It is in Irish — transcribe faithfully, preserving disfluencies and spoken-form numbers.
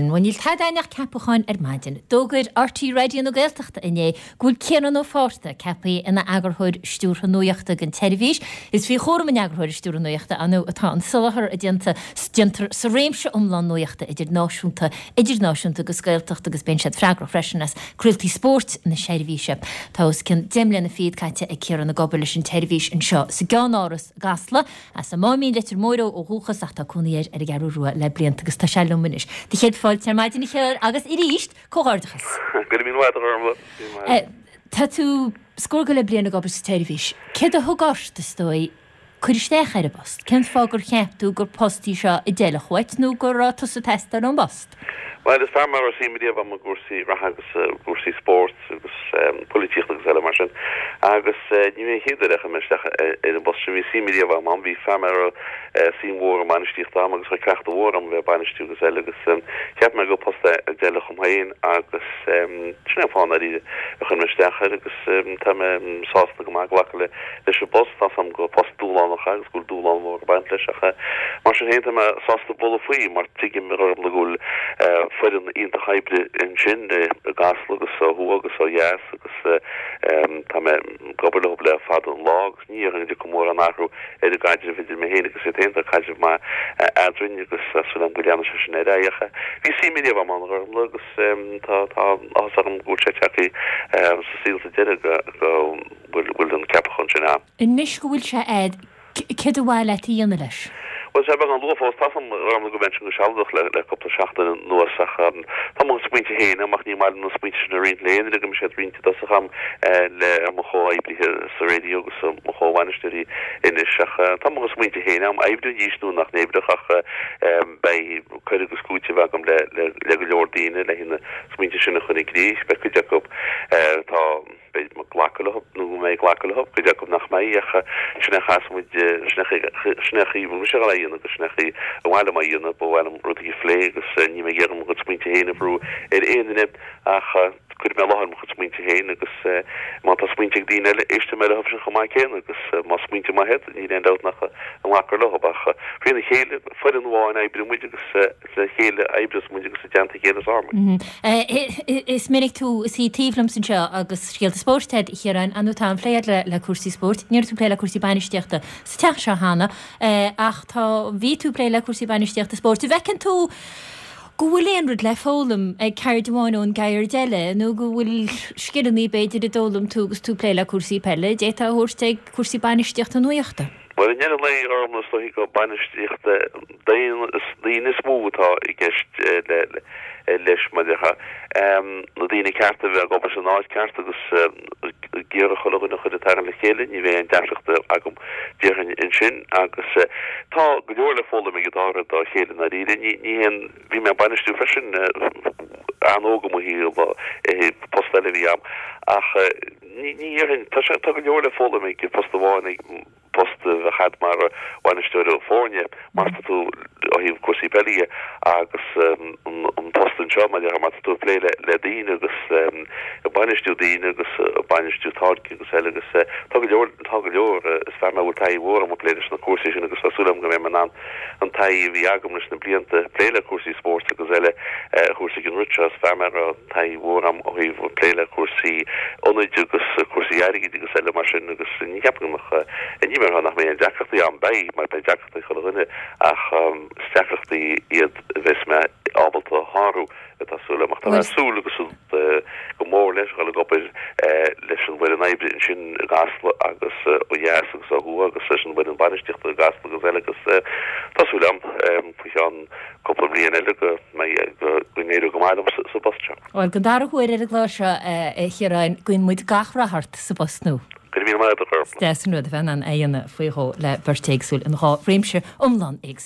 sin. Bhuel, níl tada againn ach ceapacháin ar maidin. D'fhógair RTÉ Raidió na Gaeltachta inné go bhfuil Ciarán Ó Fátharta ceaptha ina eagarthóir stiúrtha nuachta don tseirbhís. Is faoi chúram an eagarthóra stiúrtha nuachta ar ndóigh atá an soláthar a déanta déantar sa réimse iomlán nuachta idir náisiúnta, idirnáisiúnta agus Gaeltacht agus bíonn siad freagrach freisin as craoltaí spóirt na seirbhíse. Tá os cionn deich mbliana fichead caite ag Ciarán ag obair leis an tseirbhís anseo sa gceannáras i gCasla, as an Máimín Leitir Móir ó dhúchas ach tá cónaí air ar an gCeathrú Rua le blianta agus tá sé liom anois. Do chéad fáilte ar maidin a Chiaráin agus arís, comhghairdeachas. Go raibh míle maith agat, a Ghormfhlaith. Tá tú scór go leith bliain ag obair sa tseirbhís. Céard a thug ort, is dóigh, cur isteach ar an bpost? Cén fáth gur cheap tú gur post í seo a d'fheilfeadh dhuit nó go raibh tusa ag teastáil ón bpost? Bhuel, is fear mé a raibh suim riamh agam i gcúrsaí reatha agus i gcúrsaí spóirt agus polaitíochta agus eile mar sin. Agus ní hé an chéad uair a chuir mé isteach ar an bpost sin. Bhí suim riamh agam ann. Bhí fear mé a raibh suim mhór i mbainistíocht agam agus raibh cleachtadh mhór agam a bheith ag bainistiú agus eile agus cheap mé gur post é a d'fheilfeadh dom féin agus sin é an fáth i ndáiríre a chuir mé isteach air agus tá mé sásta go maith glacadh leis an bpost. Tá a fhios agam gur post dúshlánach é agus go bhfuil dúshlán mhór ag baint leis ach mar sin féin tá mé sásta bualadh faoi mar tuigim go bhfuil foireann iontach oibre ansin i gCasla agus ó thuaidh agus ó dheas agus tá mé ag obair leo le fada an lá agus ní dhéarfainn go dtiocfaidh mórán athrú ar an gcaidreamh idir mé féin agus iad féin, tá caidreamh maith eadrainn agus tá súil agam go leanfaidh sé sin ar aghaidh ach bhí suim riamh agam ann a Ghormfhlaith agus tá tá áthas orm go bhfuil sé tagtha sa saol sa deireadh go go bhfuil an ceapachán sin ann. Anois go bhfuil sé a'd, céard ba mhaith leat a dhéanamh leis? Bhuel, tá sé beagán luath fós. Tá a fhios agam a Ghormfhlaith go mbeidh sin go sealadach le le cúpla seachtain anuas ach tá mo smaointe féin agam ach ní maith liom na smaointe sin a roinnt le aon duine go mbeidh siad roinnte i dtosach agam le mo chomhoibrithe sa raidió agus mo chomhbhainisteoirí anois ach tá mo smaointe féin agam. Oibreoidís nó nach n-oibreodh ach beidh cur agus cúiteamh agam le le le go leor daoine le na smaointe sin a chur i gcrích. Beidh cuid acu tá beidh mé ag glacadh leo nó go mbeidh glacadh leo, cuid acu nach mbeidh ach sin é a chaithfeas muid, sin é an chaoi a bhfuil mise a dhul a dhéanamh agus sin é an chaoi ar mhaith liom a dhéanamh, ba mhaith liom rudaí a phlé agus níl mé ag iarraidh mo chuid smaointe féin a bhrú ar aon duine ach cuirfidh mé i láthair mo chuid smaointe féin agus má tá smaointe ag daoine eile éistfidh mé leo sin chomh maith céanna agus más smaointe maithe iad níl aon dabht nach nglacfar leo ach frína chéile, foireann amháin oibríonn muid agus le chéile a oibreos muid agus i dteannta a chéile is fearr muid. Is minic tú ag suí taobh liomsa anseo agus scéalta spóirt agat, a Chiaráin, ar ndóigh tá an-phlé agat le cúrsaí spóirt. Ní raibh tú ag plé le cúrsaí bainistíochta sa teach seo cheana ach tá, bhí tú ag plé le cúrsaí bainistíochta spóirt. An bhfeiceann tú go bhfuil aon rud le foghlaim ag ceird amháin ón gceird eile nó go bhfuil scileanna b'fhéidir a d'fhoghlaim tú agus tú ag plé le cúrsaí peile a d'fhéadfá a thabhairt ag cúrsaí bainistíochta nuachta? Bhuel, i ndeireadh an lae, a Ghormfhlaith, is dóichí gur bainistíocht daoine is mó atá i gceist leis, mar a déarfá. Na daoine cearta a bheith ag obair san áit ceart agus ag iarraidh chuile dhuine a chur ag tarraingt le chéile, ní bheidh aon deacracht agam, déarfainn, ansin. Agus tá go leor le foghlaim ag an dá rud dá chéile i ndáiríre. Ní haon, bhí mé ag bainistiú freisin an-óg i mo shaol, i bpost eile a bhí agam, ach ní dhéarfainn, tá sé, tá go leor le foghlaim ag post amháin, ag. post a bheith agat mar bhainisteoir foirne más tá tú ó thaobh cúrsaí peile dhe agus an post anseo mar má tá tú ag plé le daoine agus ag bainistiú daoine agus ag bainistiú táirgí agus eile agus tá go leor tá go leor is fear mé a bhfuil taithí mhór agam ag plé leis na cúrsaí sin agus tá súil agam go mbeidh mé in ann an taithí a bhí agam leis na blianta ag plé le cúrsaí spóirt agus eile a thabhairt ag an rud seo is fear mé a raibh taithí mhór agam ó thaobh plé le cúrsaí ionaid agus cúrsaí airgid agus eile mar sin agus ní cheapaim go mbeadh ní mar nach mbeidh aon deacrachtaí ann, beidh, mar beidh deacrachtaí ag chuile dhuine ach is deacrachtaí iad a bheas mé ábalta a shárú, tá súil agam. Ach tá mé ag súil agus go mór leis dhul ag obair leis an bhfoireann oibre ansin i gCasla agus ó dheas agus ó thuaidh agus leis an bhfoireann bainistíochta i gCasla agus eile agus tá súil agam faoi cheann cúpla bliain eile go mbeidh, go n-éireoidh go maith liom sa bpost seo. Bhuel, don dara huair ar an gclár seo, a Chiaráin, guíonn muid gach rath ort sa bpost nua. Go raibh míle maith agat, a Is deas an rud a bheith in ann é a dhéanamh faoi dhó le beirt éagsúil in dhá réimse iomlán éagsúil.